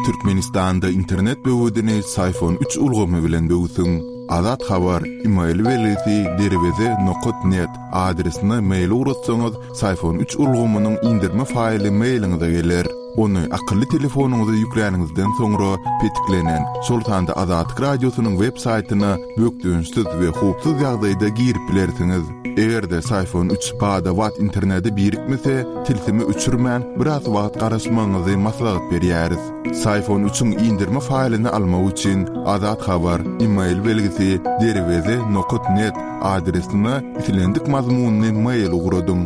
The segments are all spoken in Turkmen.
Türkmenistanda internet böwedini Syfon üç ulgamy bilen böwsüň. Azat Habar, email belgisi derweze nokat net adresine mail ugratsaňyz, Syfon üç ulgamynyň indirme faýly mailiňize geler. Ony akylly telefonyňyza ýükläniňizden soňra petiklenen, şol sanda Azatlyk Radiosynyň web saýtyna bökdençsiz we howpsuz ýagdaýda girip bilersiňiz. Eger-de Syfon üç bada-bat internete birikmese, tilsimi öçürmän, biraz wagt garaşmagyňyzy maslahat berýäris. Syfon üçiň indirme faýlyny almak üçin Azat Habar, email belgisi, derweze nokat net adresine islendik mazmunly mail ugradyň.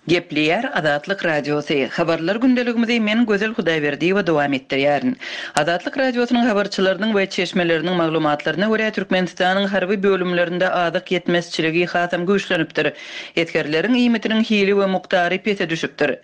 Gepleýär Azatlyk Radiosy, Habarlar gündeligimizi men Gözel Hudaýberdiýewa dowam etdirýärin. Azatlyk Radiosynyň habarçylarynyň we çeşmeleriniň maglumatlaryna görä, Türkmenistanyň harby bölümlerinde azyk ýetmezçiligi hasam güýçlenipdir. Esgerleriň iýmitiniň hili we mukdary pese düşüpdir.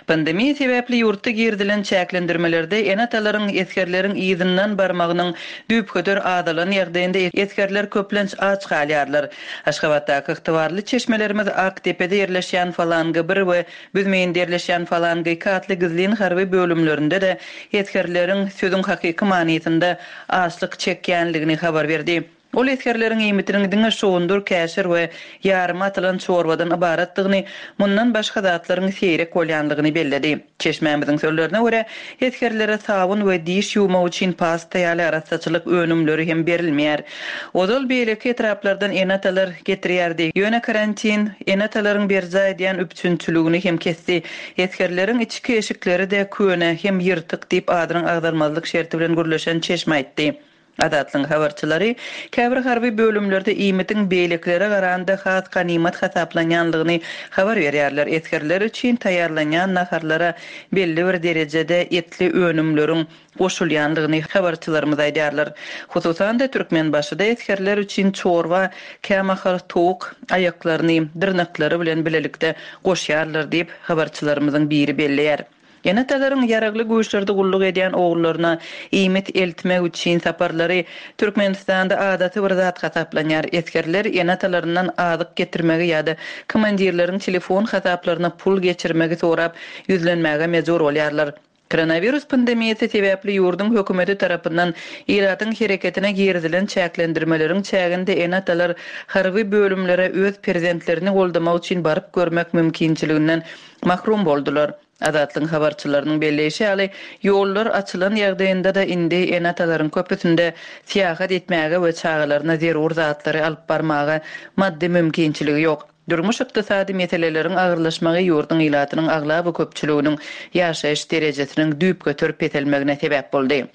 Pandemiýa sebäpli ýurtda girizilen çäklendirmelerde ene-atalaryň esgerleriň yzyndan barmagynyň düýpgöter azalan ýagdaýynda esgerler köplenç aç galýarlar. Aşgabatdaky ygtybarly çeşmelerimiz Akdepede ýerleşýän Falanga bir we Büzmeýinde ýerleşýän Falanga iki atly gizlin harby bölümlerinde-de esgerleriň sözüň hakyky manysynda açlyk çekýänligini habar berdi. Ol esgerleriň iýmitiniň diňe şugundyr, käşir we ýarym atylan çorbadan ybaratdygyny, mundan başga zatlaryň seýrek bolýanlygyny belledi. Çeşmämiziň sözlerine görä, esgerlere sabyn we diş ýuwmak üçin pasta ýaly arassaçylyk önümleri hem berilmeýär. Ozal beýleki etraplardan ene-atalar getirýärdi. Ýöne karantin ene-atalaryň berjaý edýän üpjünçiligini hem kesdi. Esgerleriň içki eşikleri-de köne hem ýyrtyk diýip, adynyň agzalmazlyk şerti bilen gürleşen çeşme aýtdy. Azatlygyň habarçylary käbir harby bölümlerde iýmitiň beýlekilere garanda has ganymat hasaplanýanlygyny habar berýärler. Esgerler üçin taýýarlanýan naharlara belli bir derejede etli önümleriň goşulýanlygyny habarçylarymyz aýdýarlar. Hususan-da, Türkmenbaşyda esgerler üçin çorba kämahal towuk aýaklaryny dyrnaklary bilen bilelikde goşýarlar diýip, habarçylarymyzyň biri belleýär. Ene-atalaryň Ýaragly Güýçlerde gulluk edýän ogullaryna iýmit eltmek üçin saparlary Türkmenistanda adaty bir zat hasaplanýar. Esgerler ene-atalaryndan azyk getirmegi ýa-da komandirleriň telefon hasaplaryna pul geçirmegi sorap ýüzlenmäge mejbur bolýarlar. Koronawirus pandemiýasy sebäpli ýurduň hökümeti tarapyndan ilatyň hereketine girizilen çäklendirmeleriň çäginde ene-atalar harby bölümlere öz perzentlerini goldamak üçin baryp görmek mümkinçiliginden mahrum boldular. Azatlygyň habarçylarynyň belleýşi ýaly, ýollar açylan ýagdaýynda-da indi ene-atalaryň köpüsinde syýahat etmäge we çagalaryna zerur zatlary alyp barmaga maddy mümkinçiligi ýok. Durmuş-ykdysady meseleleriň agyrlaşmagy ýurduň ilatynyň aglaba köpçüliginiň ýaşaýyş derejesiniň düýpgöter peselmegine sebäp boldy.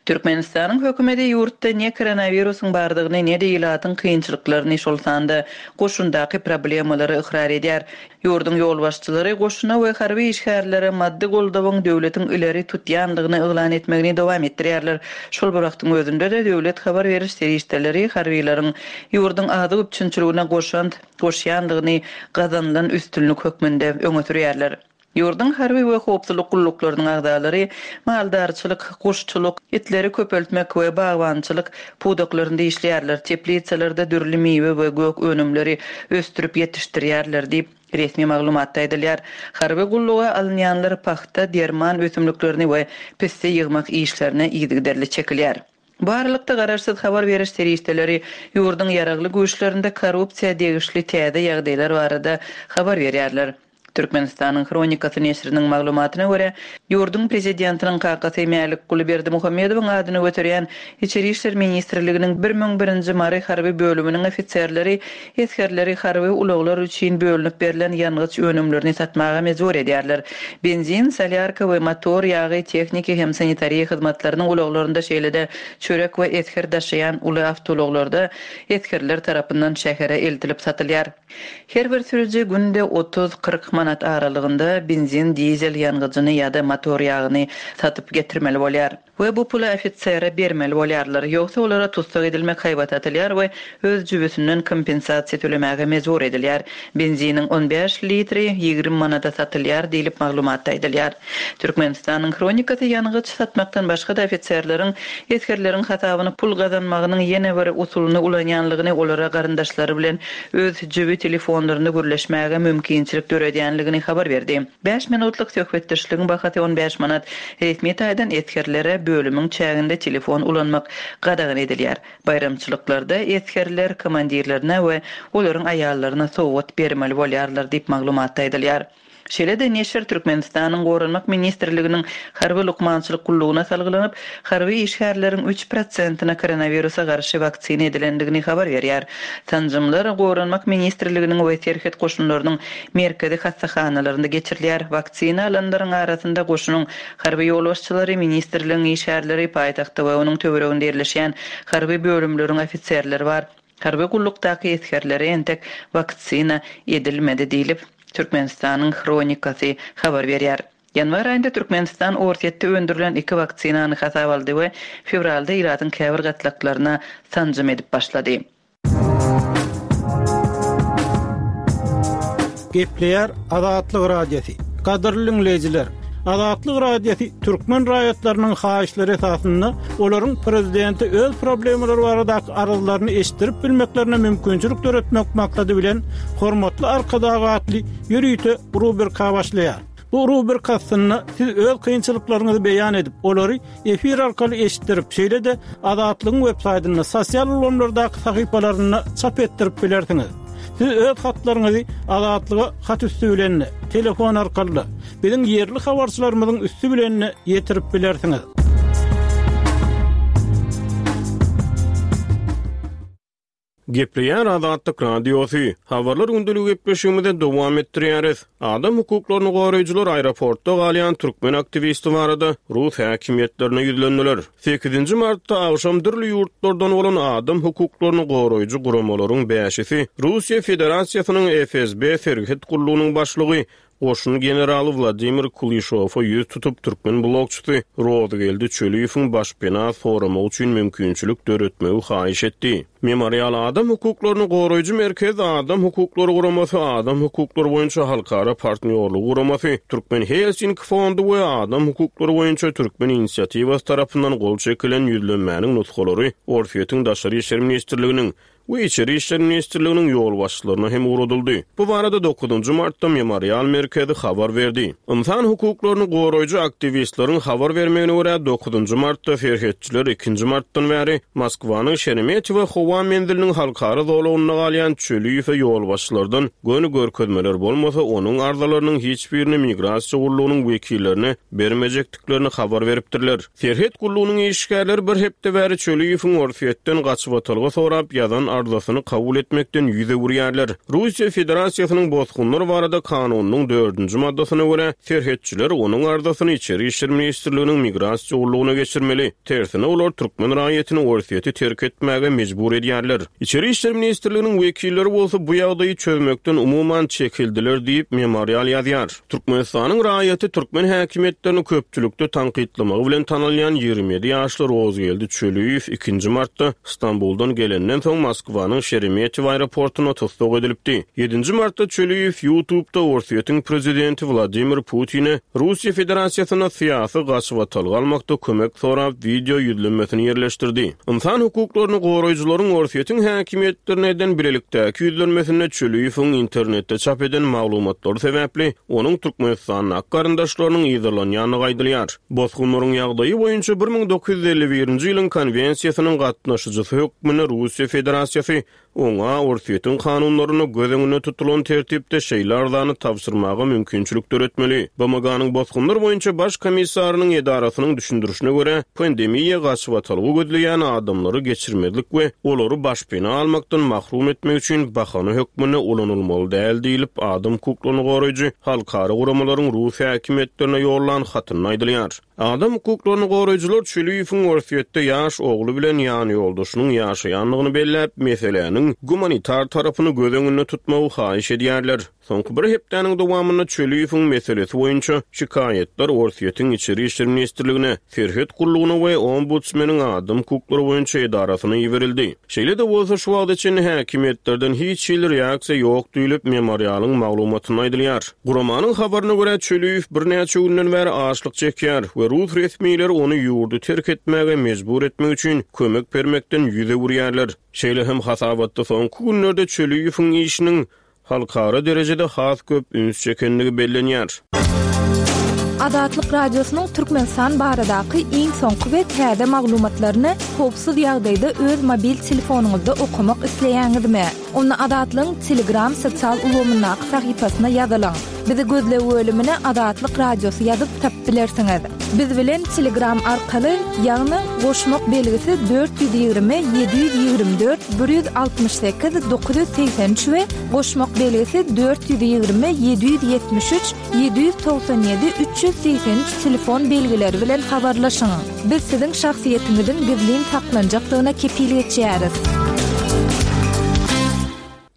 Türkmenistanyň hökümeti ýurtda ne koronawirusyň bardygyny, ne-de ilatyň kynçylyklaryny, şol sanda goşundaky problemalary ykrar edýär. Ýurduň ýolbaşçylary goşuna we harby işgärlere maddy goldawyň döwletiň ileri tutýandygyny yglan etmegini dowam etdirýärler. Şol bir wagtyň özünde-de döwlet habar beriş serişdeleri harbylaryň ýurduň azyk üpjünçiligine goşant goşýandygyny gazanylan üstünlik hökmünde öňe sürýärler. Ýurduň harby we howpsuzlyk gulluklarynyň agzalary maldarçylyk, guşçulyk, itleri köpeltmek we bagbançylyk pudaklarynda işleýärler, teplisalarda dürli miwe we gök önümleri ösdürip ýetişdirýärler diýip, resmi maglumatda aýdylýar. Harby gulluga alynýanlar pagta, derman ösümliklerini we pisse ýygmak işlerine yzygiderli çekilýär. Bu aralykda, garaşsyz habar beriş serişdeleri ýurduň ýaragly güýçlerinde korrupsiýa degişli täze ýagdaýlar barada habar berýärler. Türkmenistanyň Hronikasy neşiriniň maglumatyna görä, ýurduň prezidentiniň kakasy Mälikguly Berdimuhamedowyň adyny göterýän Içeri işler ministrliginiň 1001-nji Mary harby bölüminiň ofiserleri esgerleri harby ulaglar üçin bölünip berlen ýangyç önümlerini satmaga mejbur edýärler. Benzin, solýarka we motor ýagy tehniki hem sanitariýa hyzmatlarynyň ulaglarynda şeýle-de çörek we esger daşaýan uly awtoulaglarda esgerler tarapyndan şähere eltilip satylýar. Her bir sürüji günde otuz, 40 manat. manat aralygynda benzin, dizel ýangyjyny ýa-da motor ýagyny satyp getirmeli bolýar. We bu puly ofisere bermeli bolýarlar. Ýogsa olara tussag edilmek haýbaty atylýar we öz jübüsinden kompensasiýa tölemäge mejbur edilýär. Benziniň on bäş litri 20 manada satylýar diýlip maglumatda aýdylýar. Türkmenistanyň Hronikasy ýangyç satmakdan başga-da ofiserleriň esgerleriň hasabyna pul gazanmagynyň ýene bir usulyny ulanýanlygyny olara garyndaşlary bilen öz jübi telefonlarynda gürleşmäge mümkinçilik döredýänligini habar berdi. Bäş minutlyk söhbetdeşligiň bahasy on bäş manat. Resmi taýdan esgerlere bölümiň çäginde telefon ulanmak gadagan edilýär. Baýramçylyklarda esgerler komandirlerine we olaryň aýallaryna sowgat bermeli bolýarlar diýip, maglumatda aýdylýar. Şeýle-de neşir Türkmenistanyň Goranmak ministrliginiň Harby lukmançylyk gullugyna salgylanyp, harby işgärleriň üç prosentine koronawirusa garşy waksina edilendigini habar berýär. Sanjymlar Goranmak ministrliginiň we Serhet goşunlarynyň merkezi hassahanalarynda geçirilýär. Waksina alanlaryň arasynda goşunyň harby ýolbaşçylary, ministrligiň işgärleri, paýtagtda we onuň töwereginde ýerleşýän harby bölümleriň ofiserleri bar. Harby gullukdaky esgerlere entek waksina edilmedi diýlip, Türkmenistanyň Hronikasy habar berýär. Ýanwar aýynda Türkmenistan Orsýetde öndürilen iki waksinany hasaba aldy we fewralda ilatyň käbir gatlaklaryna sanjym edip başlady. Gepleýär Azatlyk Radiosy. Gadyrly diňleýjiler, Azatlyk Radiosy türkmen raýatlarynyň haýyşlary esasynda olaryň prezidente öz problemalary baradaky arzlaryny eşitdirip bilmeklerine mümkinçilik döretmek maksady bilen Hormatly Arkadag atly ýörite rubrika başlaýar. Bu rubrika astynda siz öz kynçylyklaryňyzy beýan edip, olary efir arkaly eşitdirip, şeýle-de Azatlygyň websaýtynda, sosial ulgamlardaky sahypalarynda çap etdirip bilersiňiz. Siz öz hatlaryňyzy Azatlyga hat üsti bilen-de, telefon arkaly-da, biziň ýerli habarçylarymyzyň üsti bilen-de ýetirip bilersiňiz. Gepleýär Azatlyk Radiosy. Habarlar gündeligi gepleşigimizi dowam etdirýäris. Adam hukuklaryny goraýjylar aeroportda galýan türkmen aktiwisti barada rus häkimiýetlerine ýüzlendiler. Sekizinji martda agşam dürli ýurtlardan bolan adam hukuklaryny goraýjy guramalaryň bäşisi Russiýa Federasiýasynyň FSB serhet gullugynyň başlygy Goşun generaly Wladimir Kulyşowa ýüz tutup, türkmen blogçysy Rozygeldi Çöliýewiň başpena soramagy üçin mümkinçilik döretmegi haýyş etdi. Memorial adam hukuklaryny goraýjy merkez, Adam hukuklary guramasy, Adam hukuklary boýunça halkara partnýorlygy guramasy, Türkmen Helsinki fondy we Adam hukuklary boýunça türkmen inisiatiwasy tarapyndan gol çekilen ýüzlenmäniň nusgalary Orsýetiň Daşary işler ministrliginiň we Içeri işler ministrliginiň ýolbaşçylaryna hem ugradyldy. Bu barada dokuzynjy martda Memorial merkezi habar berdi. Ynsan hukuklaryny goraýjy aktiwistleriň habar bermegine görä, dokuzynjy martda serhetçiler ikinji martdan bäri Moskwanyň Şeremetýewo howa menziliniň halkara zolagynda galýan Çöliýewe ýolbaşçylardan göni görkezmeler bolmasa, onuň arzalarynyň hiç birini migrasiýa gullugynyň wekillerine bermejekdiklerini habar beripdirler. Serhet gullugynyň işgärleri bir hepde bäri Çöliýewiň Orsýetden gaçybatalga sorap ýazan arzasyny kabul etmekden ýüz öwürýärler. Russiýa Federasiýasynyň Bosgunlar barada kanunynyň dördünji maddasyna görä, serhetçiler onuň arzasyny Içeri işler ministrliginiň Migrasiýa gullugyna geçirmeli. Tersine, olar türkmen raýatyny Orsýeti terk etmäge mejbur edýärler. Içeri işler ministrliginiň wekilleri bolsa bu ýagdaýy çözmekden umuman çekildiler diýip, Memorial ýazýar. Türkmenistanyň raýaty türkmen häkimiýetlerini köpçülikde tankytlamagy bilen tanalýan 27 ýaşly Rozgeldi Çöliýew ikinji martda Stambuldan gelenden soň Moskwanyň Şeremetýewo aeroportunda tussag edilipdi. Ýedinji martda Çöliýew YouTube'da Orsýetiň prezidenti Wladimir Putine Russiýa Federasiýasynda syýasy gaçybatalga almakda kömek sorap wideo ýüzlenmesini ýerleşdirdi. Ynsan hukuklaryny goraýjylaryň Orsýetiň häkimiýetlerine eden bilelikdäki ýüzlenmesinde Çöliýewiň internetde çap eden maglumatlary sebäpli onuň Türkmenistandaky garyndaşlarynyň yzarlanýandygy aýdylýar. Bosgunlaryň ýagdaýy boýunça 1951-nji ýylyň Konwensiýasynyň gatnaşyjysy hökmünde Russiýa Federasiýasy Oňa Orsýetiň kanunlarynda göz öňünde tutulan tertipde şeýle arzany tabşyrmaga mümkinçilik döretmeli. BMG-niň Bosgunlar boýunça Baş komissarynyň edarasynyň düşündirişine görä, pandemiýa gaçybatalga gözleýän adamlary geçirmezlik we olary başpena almakdan mahrum etmek üçin bahana hökmünde ulanylmaly däl diýlip, adam hukuklaryny goraýjy halkara guramalaryň rus häkimiýetlerine ýollan hatynda aýdylýar. Adam hukuklaryny goraýjylar Çüliýewiň Orsýetde ýaş ogly bilen ýanýoldaşynyň ýaşaýandygyny belläp, meseläniň. meseläniň gumanitar tarapyny göz öňünde tutmagy haýyş edýärler. Soňky bir hepdäniň dowamynda Çöliýewiň meselesi boýunça şikaýatlar Orsýetiň Içeri işler ministrligine, Serhet gullugyna we Ombudsmeniň adam hukuklary boýunça edarasyna iberildi. Şeýle-de bolsa, şu wagta çenli häkimiýetlerden hiç hili reaksiýa ýok diýlip, Memorialyň maglumatynda aýdylýar. Guramanyň habaryna görä, Çöliýew birnäçe günden bäri açlyk çekýär we rus resmileri ony ýurdy terk etmäge mejbur etmek üçin kömek bermekden ýüz öwürýärler. Şeýle hem hasabatda soňky günlerde Çöliýewiň işiniň halkara derejede has köp üns çekendigi bellenýär. Azatlyk Radiosynyň Türkmenistan baradaky iň soňky we täze maglumatlaryny howpsuz ýagdaýda öz mobil telefonyňyzda okamak isleýäňizmi? Onda Azatlygyň Telegram sosial ulgamyndaky sahypasyna ýazylyň. Bizi gözleg bölümine Azatlyk Radiosy ýazyp tapyp bilersiňiz. Biz bilen Telegram arkaly, ýagny goşmak belgisi 420 724 168 983 we goşmak belgisi 420 773 797 383 telefon belgileri bilen habarlaşyň. Biz siziň şahsyýetiňiziň gizlin saklanjakdygyna kepil geçýäris.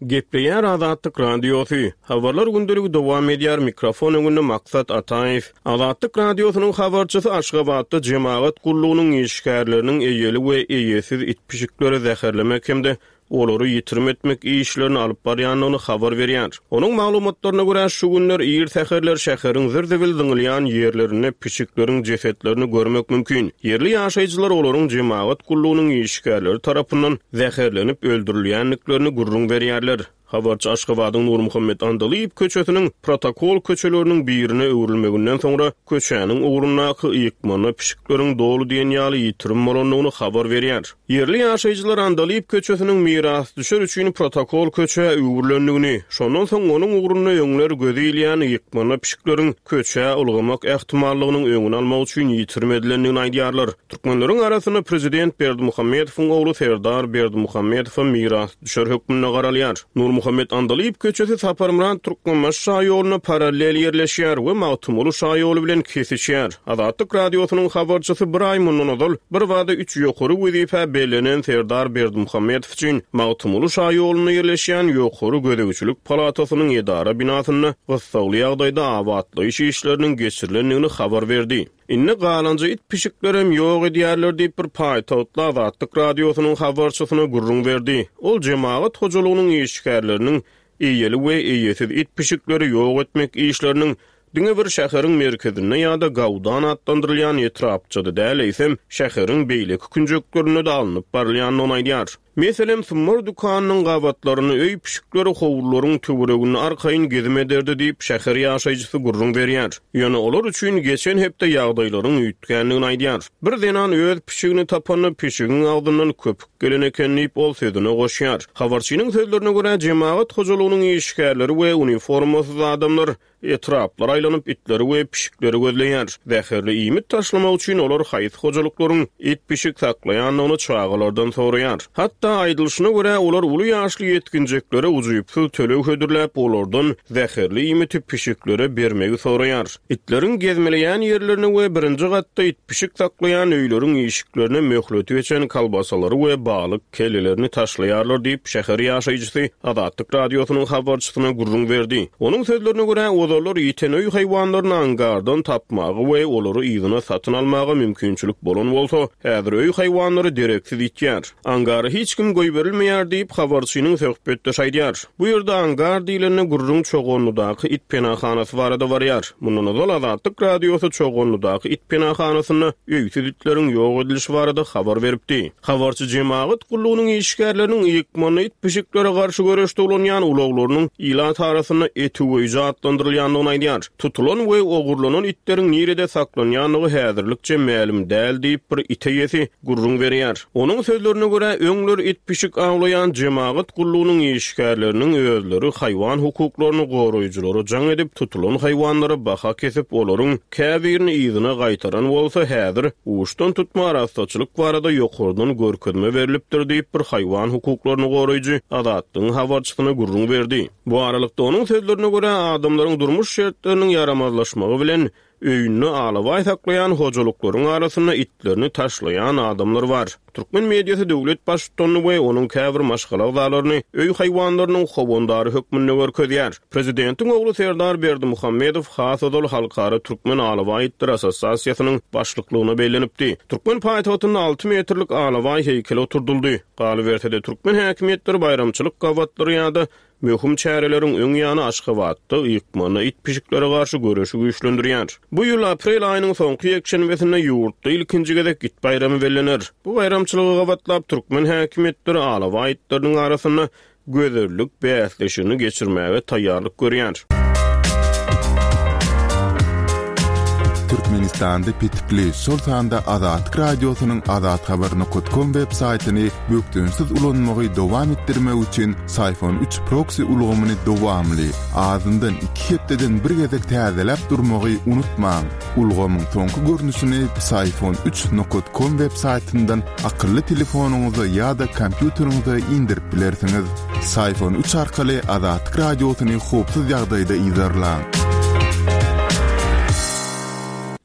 Gepleýär Azatlyk Radiosy. Habarlar gündeligi dowam edýär, mikrofon öňünde Maksat Ataýew. Azatlyk Radiosynyň habarçysy Aşgabatda jemagat gullugynyň işgärleriniň eýeli we eýesiz it-pişikleri zäherlemek hem-de olary ýitirim etmek işlerini alyp barýandygyny habar berýär. Onuň maglumatlaryna görä, şu günler ir säherler şäheriň zir-zibil zyňylýan ýerlerinde pişikleriň jesetlerini görmek mümkin. Ýerli ýaşaýjylar olaryň jemagat gullugynyň işgärleri tarapyndan zäherlenip öldürilýändiklerini gürrüň berýärler. Habarçy Aşgabadyň Nurmuhammet Andalyýew köçesiniň protokol köçeleriniň birine öwrülmeginden soňra köçäniň ugrundaky ýykmanda pişikleriň doly diýen ýaly ýitirim bolandygyny habar berýär. Ýerli ýaşaýjylar Andalyp köçesiniň mirasdüşer üçin protokol köçä öwrülendigini, şondan soň onuň ugrunda öňler gözi ilýän ýykmanda pişikleriň köçä ylgamak ähtimallygynyň öňüni almak üçin ýitirim edilendigini aýdýarlar. Türkmenleriň arasynda prezident Berdimuhamedowyň ogly Serdar Berdimuhamedowa mirasdüşer hökmünde garalýar. Nurmuhammet Andalyp köçesi Saparmyrat Türkmenbaşy şaýoluna parallel ýerleşýär we Magtymguly şaýoly bilen kesişýär. Azatlyk Radiosynyň habarçysy bir aý mundan ozal birbada üç ýokary wezipä bellenen Serdar Berdimuhamedow üçin Magtymguly şaýolunda ýerleşýän Ýokary gözegçilik palatasynyň edara binasynda gyssagly ýagdaýda abatlaýyş işleriniň geçirilendigini habar berdi. Indi galanja it-pişiklerem ýok edýärler diýip, bir paýtagtly Azatlyk Radiosynyň habarçysyna gürrüň berdi. Ol jemagat hojalygynyň işgärleriniň eýeli we eýesiz it-pişikleri ýok etmek işleriniň diňe bir şäheriň merkezinde ýa-da Gaudan atlandyrylýan etrapçada däl, eýsem, şäheriň beýleki künjeklerinde-de alnyp barylýandygyny aýdýar. Meselem, Sumbar dükanynyň gabatlarynda öý pişikleri howlularyň töwereginde arkaýyn gezim ederdi diýip, şäher ýaşaýjysy gürrüň berýär. Ýöne olar üçin geçen hepde ýagdaýlaryň üýtgändigini aýdýar. Bir zenan öz pişigini tapanda, pişigiň agzyndan köpük gelen eken diýip, ol sözüne goşýar. Habarçynyň sözlerine görä, jemagat hojalygynyň işgärleri we uniformasyz adamlar Etraplara aýlanyp, itleri we pişikleri gözleýär. Zäherli iýmit taşlamak üçin olar haýsy hojalyklaryň it-pişik saklaýandygyny çagalardan soraýar. Hatda, aýdylyşyna görä, olar uly ýaşly ýetginjeklere ujypsyz töleg hödürläp, olardan zäherli iýmiti pişiklere bermegi soraýar. Itleriň gezmeleýän ýerlerine we birinji gatda it-pişik saklaýan öýleriň işiklerine möhleti geçen kolbasalary we balyk kellelerini taşlaýarlar diýip, şäher ýaşaýjysy Azatlyk Radiosynyň habarçysyna gürrüň berdi. Onuň sözlerine görä, ozallar ýiten öý haýwanlaryny angardan tapmaga we olary yzyna satyn almaga mümkinçilik bolan bolsa, häzir öý haýwanlary dereksiz ýitýär. Angara hiç kim goýberilmeýär diýip, habarçynyň söhbetdeşi aýdýar. Bu ýerde angar diýlende gürrüň Çoganlydaky it penahanasy barada barýar. Mundan ozal Azatlyk Radiosy Çoganlydaky it penahanasynda öýsüz itleriň ýok edilişi barada habar beripdi. Habarçy jemagat gullugynyň işgärleriniň ýykmanda it-pişiklere garşy göreşde ulanýan ulaglarynyň ilat arasynda et üweýji atlandyrylýandygyny aýdýar. Tutulan we ogurlanan itleriň nirede saklanýandygy häzirlikçe mälim däl diýip, bir it eýesi gürrüň berýär. Onuň sözlerine görä, öňler it-pişik awlaýan jemagat gullugynyň işgärleriniň özleri haýwan hukuklaryny goraýjylara jaň edip, tutulan haýwanlara baha kesip, olaryň käbirini yzyna gaýtaran bolsa, häzir uçdan tutma arassaçylyk barada ýokardan görkezme berlipdir diýip, bir haýwan hukuklaryny goraýjy Azatlygyň habarçysyna gürrüň berdi. Bu aralykda, onuň sözlerine görä, adamlaryň durmuş şertleriniň ýaramazlaşmagy bilen, Öýünde alabaý saklaýan hojalyklaryň arasynda itlerini taşlaýan adamlar bar. Türkmen mediasy döwlet baştutanyny we onuň käbir maşgala agzalaryny öý haýwanlarynyň howandary hökmünde görkezýär. Prezidentiň ogly Serdar Berdimuhamedow has ozal Halkara türkmen alabaý itleri assosiasiýasynyň başlyklygyna bellenipdi. Türkmen paýtagtynda alty metrlik alabaý heýkeli oturdyldy. Galyberse-de, türkmen häkimiýetleri baýramçylyk gabatlary ýa-da Möhüm çäreleriň öň ýany Aşgabatda ykmanda it-pişiklere garşy göreşi güýçlendirýär. Bu ýyl aprel aýynyň soňky ýekşenbesinde ýurtda ilkinji gezek it baýramy bellener. Bu baýramçylyga gabatlap türkmen häkimiýetleri alabaý itleriniň arasynda gözellik bäsleşigini geçirmäge taýýarlyk görýär. Türkmenistanda petikli, şol sanda Azatlyk Radiosynyň azathabar nokat kom web saýtyny bökdençsiz ulanmagy dowam etdirmek üçin Syphon üç proksi ulgamyny dowamly, azyndan iki hepdeden bir gezek täzeläp durmagy unutmaň. Ulgamyň soňky görnüşini Psiphon üç nokat kom web saýtyndan akylly telefonyňyza ýa-da kompýuteriňize indirip bilersiňiz. Syphon üç arkaly Azatlyk Radiosyny howpsuz ýagdaýda yzarlaň.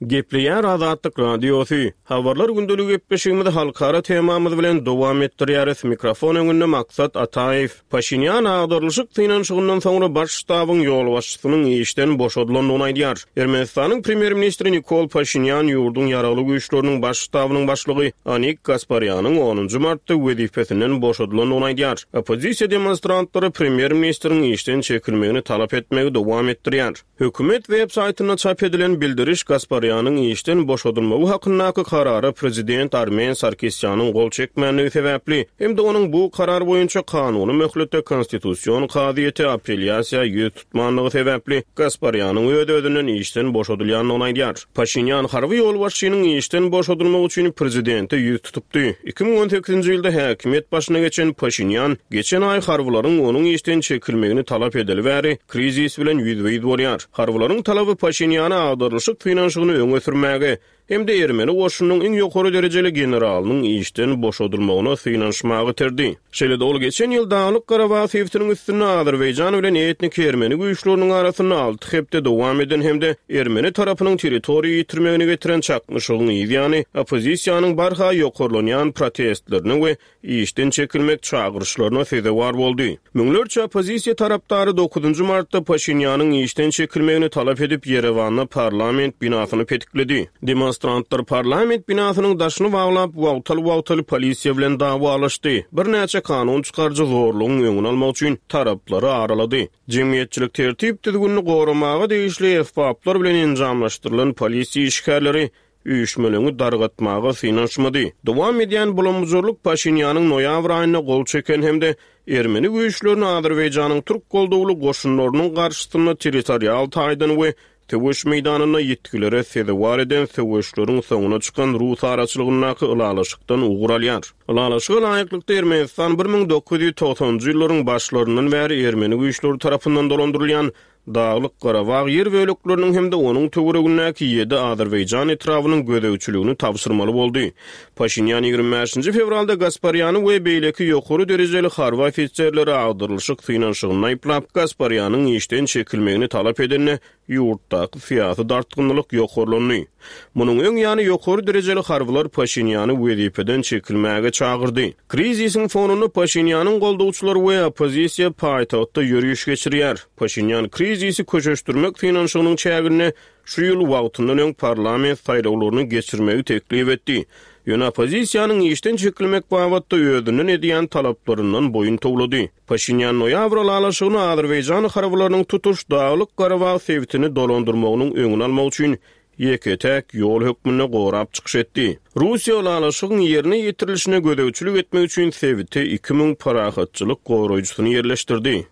Gepleýär Azatlyk Radiosy. Habarlar gündeligi gepleşigimizi halkara temamyz bilen dowam etdirýäris. Mikrofon öňünde Maksat Ataýew. Paşinýan agdarylyşyk synanyşygyndan soňra Baş ştabyň ýolbaşçysynyň işden boşadylandygyny aýdýar. Ermenistanyň premýer-ministri Nikol Paşinýan ýurduň Ýaragly Güýçleriniň Baş ştabynyň başlygy Anik Gasparýanyň onunjy martda wezipesinden boşadylandygyny aýdýar. Oppozisiýa demonstrantlary premýer-ministriň işden çekilmegini talap etmegi dowam etdirýär. Hökümet web saýtynda çap edilen bildiriş Gasparýanyň işden boşadylmagy hakyndaky karara prezident Armen Sarkisýanyň gol çekmändigi sebäpli hem-de onuň bu karar boýunça kanuny möhletde Konstitusion kazyýete apelýasiýa ýüz tutmandygy sebäpli Gasparýanyň öz-özünden işden boşadylýandygyny aýdýar. Paşinýan harby ýolbaşçynyň işden boşadylmagy üçin prezidente ýüz tutupdy. 2018-nji ýylda häkimiýet başyna geçen Paşinýan geçen aý harbylaryň onuň işden çekilmegini talap edeli bäri krizis bilen ýüzbe-ýüz bolýar. Harbylaryň talaby Paşinýana agdarylyşyk synanyşygyny öňe sürmäge hem-de ermeni goşunynyň iň ýokary derejeli generalynyň işden boşadylmagyna synanyşmaga iterdi. Şeýle-de ol geçen ýyl Daglyk-Garabag sebitiniň üstünde Azerbaýjan bilen etniki ermeni güýçleriniň arasynda alty hepde dowam eden hem-de ermeni tarapynyň territoriýa ýitirmegine getiren çaknyşygyň yzýany oppozisiýanyň barha ýokarlanýan protestlerine we işden çekilmek çagyryşlaryna sezewar boldy. Müňlerçe oppozisiýa tarapdary dokuzynjy martda Paşinýanyň işden çekilmegini talap edip, Ýerewanda parlament binasyny petikledi. Demonstrantlar parlament binasynyň daşyny baglap, wagtal-wagtal polisiýa bilen dawalaşdy. Birnäçe kanun çykaryjy zorlugyň öňüni almak üçin taraplary aralady. Jemgyýetçilik tertip-düzgünini goramaga degişli esbaplar bilen enjamlaşdyrylan polisiýa işgärleri üýşmeleňi dargatmaga synanyşmady. Dowam edýän bulam-bujarlyk Paşinýanyň noýabr aýynda gol çeken hem-de ermeni güýçlerini Azerbaýjanyň türk goldawly goşunlarynyň garşysynda territorial taýdan we söweş meýdanynda ýitgilere sezewar eden söweşleriň soňuna çykan rus araçylygyndaky ylalaşykdan ugur alýar. Ylalaşyga laýyklykda Ermenistan 1990-njy ýyllaryň başlaryndan bäri ermeni güýçleri tarapyndan dolandyrylýan Daglyk-Garabag ýer bölekleriniň hem-de onuň töweregindäki ýedi azerbaýjan etrabynyň gözegçiligini tabşyrmaly boldy. Paşinýan 25-nji fewralda Gasparýany we beýleki ýokary derejeli harby ofiserleri agdarylyşyk synanyşygynda aýyplap, Gasparýanyň işden çekilmegini talap edende, ýurtdaky syýasy dartgynlylyk ýokarlandy. Munuň öň ýany ýokary derejeli harbylar Paşinýany wezipeden çekilmäge çagyrdy. Krizisiň fonunda Paşinýanyň goldawçylary we oppozisiýa paýtagtda ýöriş geçirýär. Paşinýan krizisi köşeşdirmek synanyşygynyň çäginde şu ýyl wagtyndan öň parlament saýlawlaryny geçirmegi teklip etdi. Ýöne oppozisiýanyň işden çekilmek babatda özünden edýän talaplaryndan boýun towlady. Paşinýan noýabr ylalaşygyny Azerbaýjan harbylarynyň tutuş Daglyk-Garabag sebitini dolandyrmagynyň öňüni almak üçin ýeke-täk ýol hökmünde gorap çykyş etdi. Russiýa ylalaşygyň ýerine ýetirilişine gözegçilik etmek üçin sebite 2000 parahatçylyk goraýjysyny ýerleşdirdi.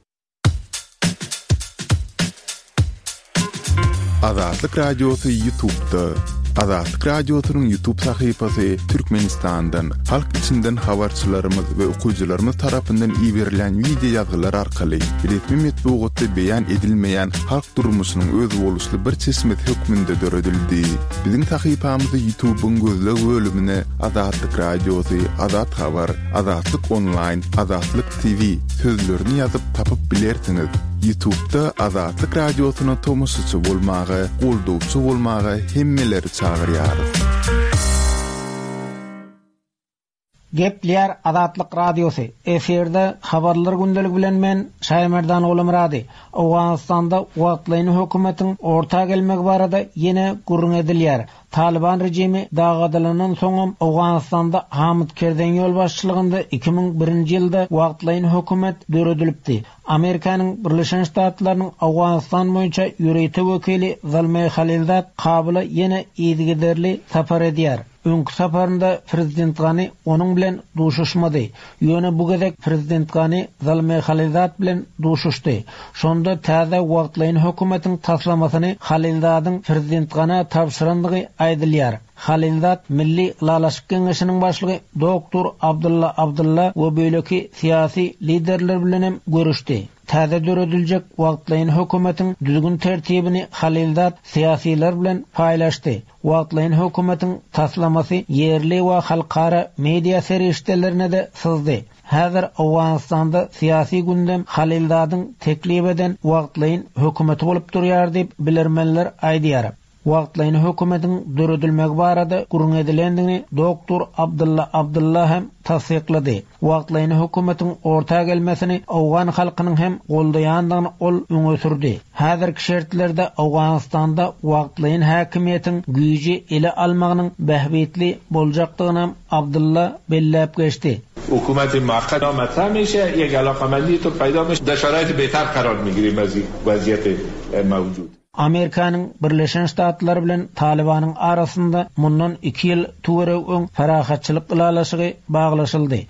Azatlyk Radiosy Ýutubda. Azatlyk Radiosynyň Ýutub sahypasy Türkmenistandan, halk içinden habarçylarymyz we okyjylarymyz tarapyndan iberilen wideo ýazgylar arkaly resmi metbugatda beýan edilmeýän halk durmuşynyň özboluşly bir çeşmesi hökmünde döredildi. Biziň sahypamyzy Ýutubyň gözleg bölümine Azatlyk Radiosy, Azat Habar, Azatlyk Onlaýn, Azatlyk TV sözlerini ýazyp tapyp bilersiňiz. Ýutubda Azatlyk Radiosyna tomaşaçy bolmaga, goldawçy bolmaga hemmeleri çagyrýarys. Gepleýär Azatlyk Radiosy, Efirde Habarlar gündeligi bilen men, Şaýmerdan Gulumyrady. Owganystanda wagtlaýyn hökümetiň orta gelmegi barada ýene gürrüň edilýär. Talyban režimi dagadylandan soňam Owganystanda Hamid Kerzeýiň ýolbaşçylygynda 2001-nji ýylda wagtlaýyn hökümet döredilipdi. Amerikanyň Birleşen Ştatlarynyň Owganystan boýunça ýörite wekili Zalmeý Halilzad Kabula ýene yzygiderli sapar edýär. Öňki saparynda prezident Gani onuň bilen duşuşmady. Ýöne bu gezek prezident Gani Zalmeý Halilzad bilen duşuşdy. Şonda täze wagtlaýyn hökümetiň taslamasyny Halilzadyň prezident Ganä tabşyrandygy aýdylýar. Halilzad Milli ylalaşyk geňeşiniň başlygy doktor Abdylla Abdylla we beýleki syýasy liderler bilenem görüşdi. Täze dörediljek wagtlaýyn hökümetiň düzgün-tertibini Halilzad syýasylar bilen paýlaşdy. Wagtlaýyn hökümetiň taslamasy ýerli we halkara media serişdelerine-de syzdy. Häzir Owganystanda syýasy gündem Halilzadyň teklip eden wagtlaýyn hökümeti bolup durýar diýip, bilermenler aýdýar. Wagtlaýyn hökümetiň döredilmegi barada gürrüň edilendigini doktor Abdylla Abdylla hem tassyklady. Wagtlaýyn hökümetiň orta gelmesini owgan halkynyň hem goldaýandygyny ol öňe sürdi. Häzirki şertlerde Owganystanda wagtlaýyn häkimiýetiň güýji ele almagynyň bähbitli boljakdygynam Abdylla belläp geçdi. حکومت موقت مطرح میشه یک علاقمندی طور پیدا میشه در شرایط بهتر قرار میگیریم از وضعیت موجود. Amerikanyň Birleşen Ştatlary bilen Talybanyň arasynda mundan iki ýyl töweregi öň parahatçylyk ylalaşygy baglaşyldy.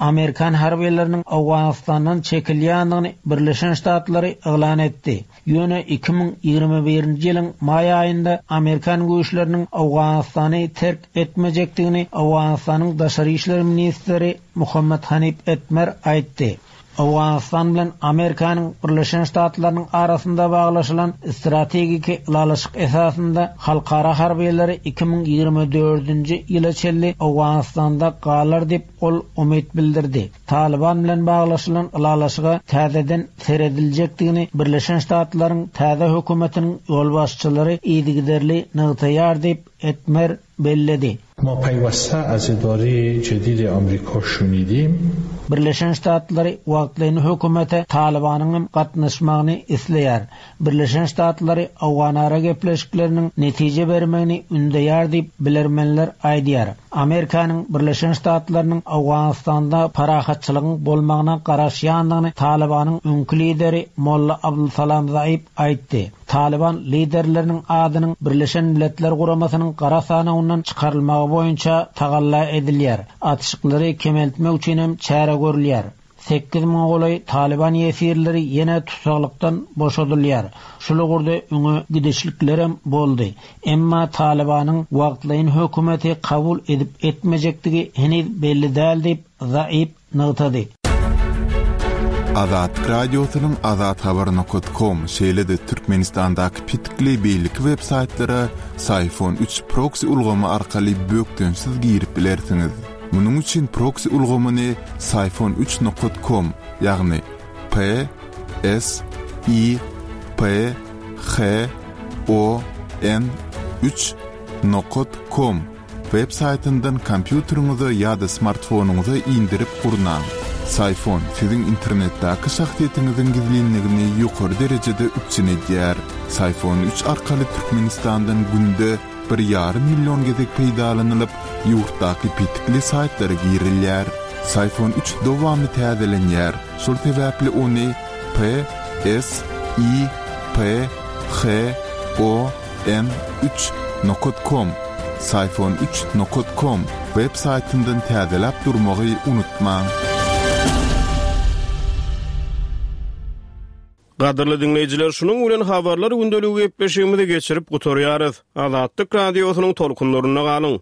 Amerikan harbylarynyň Owganystandan çekilýändigini Birleşen Ştatlary yglan etdi. Ýöne 2021-nji ýylyň maý aýynda amerikan güýçleriniň Owganystany terk etmejekdigini Owganystanyň daşary işler ministri Muhammet Hanif Etmer aýtdy. Owganystan bilen Amerikanyň Birleşen Ştatlarynyň arasynda baglaşylan strategiki ylalaşyk esasynda halkara harbylary 2024-nji ýyla çenli Owganystanda galar diýip, ol umyt bildirdi. Talyban bilen baglaşylan ylalaşyga täzeden serediljekdigini Birleşen Ştatlaryň täze hökümetiniň ýolbaşçylary yzygiderli nygtaýar diýip, Etmer belledi. ما پیوسته از اداره جدید آمریکا شنیدیم. Birleşen Ştatlary wagtlaýyn hökümete Talybanyň hem gatnaşmagyny isleýär. Birleşen Ştatlary owganara gepleşikleriniň netije bermegini ündeýär diýip, bilermenler aýdýar. Amerikanyň Birleşen Ştatlarynyň Owganystanda parahatçylygyň bolmagyna garaşýandygyny Talybanyň öňki lideri Molla Abdulsalam Zaib aýtdy. Talyban liderleriniň adynyň Birleşen Milletler Guramasynyň gara sanawyndan çykarylmagy boýunça tagalla edilýär. Atyşyklary kemeltmek üçin hem çäre görülýär. Sekiz müňe golaý talyban ýesirleri ýene tussaglykdan boşadylýar. Şul ugurda öňe gidişliklerem boldy. Emma Talybanyň wagtlaýyn hökümeti kabul edip-etmejekdigi heniz belli däl diýip, Zaib nygtady. Azatlyk Radiosynyň azathabar nokat kom, şeýle-de Türkmenistandaky petikli beýleki web saýtlara Syfon üç proksi ulgamy arkaly bökdençsiz girip bilersiňiz. Munuň üçin proksi ulgamyny Syfon üç nokat kom, ýagny P S I P H O N üç nokat kom web saýtyndan kompýuteriňize ýa-da smartfonyňyza indirip gurnaň. Syfon siziň internetdäki şahsyýetiňiziň gizlinligini ýokary derejede üpjün edýär. Syfon üç arkaly Türkmenistandan günde bir ýarym million gezek peýdalanylyp, ýurtdaky petikli saýtlara girilýär. Syfon üç dowamly täzelenýär, şol sebäpli ony P S I P H O N üç nokat kom, Syfon üç nokat kom, web saýtyndan täzeläp durmagy unutmaň. Gadyrly diňleýjiler, şunuň bilen Habarlar gündeligi gepleşigimizi geçirip gutarýarys. Azatlyk Radiosynyň tolkunlarynda galyň!